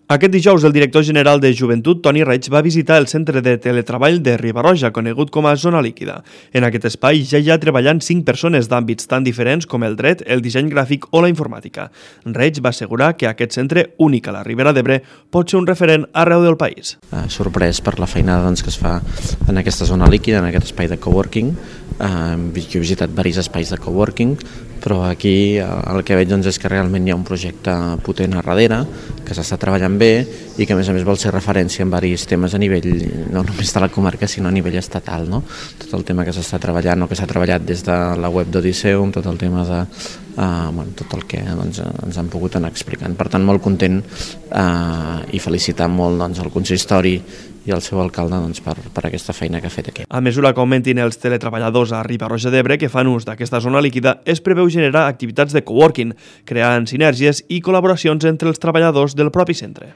Aquest dijous, el director general de Joventut, Toni Reig, va visitar el centre de teletreball de Riba-roja, conegut com a Zona Líquida. En aquest espai ja hi ha treballant 5 persones d'àmbits tan diferents com el dret, el disseny gràfic o la informàtica. Reig va assegurar que aquest centre, únic a la Ribera d'Ebre, pot ser un referent arreu del país. Sorprès per la feinada que es fa en aquesta zona líquida, en aquest espai de coworking. Jo he visitat diversos espais de coworking, però aquí el que veig és que realment hi ha un projecte potent a darrere, que s'està treballant bé i que a més vol ser referència en diversos temes a nivell, no només de la comarca, sinó a nivell estatal. Tot el tema que s'està treballant o que s'ha treballat des de la web d'Odiseum, tot el tema de tot el que ens han pogut anar explicant. Per tant, molt content i felicitar molt el consistori i el seu alcalde per aquesta feina que ha fet aquí. A mesura que augmentin els teletreballadors a Riba-roja d'Ebre que fan ús d'aquesta zona líquida, es preveu generar activitats de coworking, creant sinergies i col·laboracions entre els treballadors del propi centre.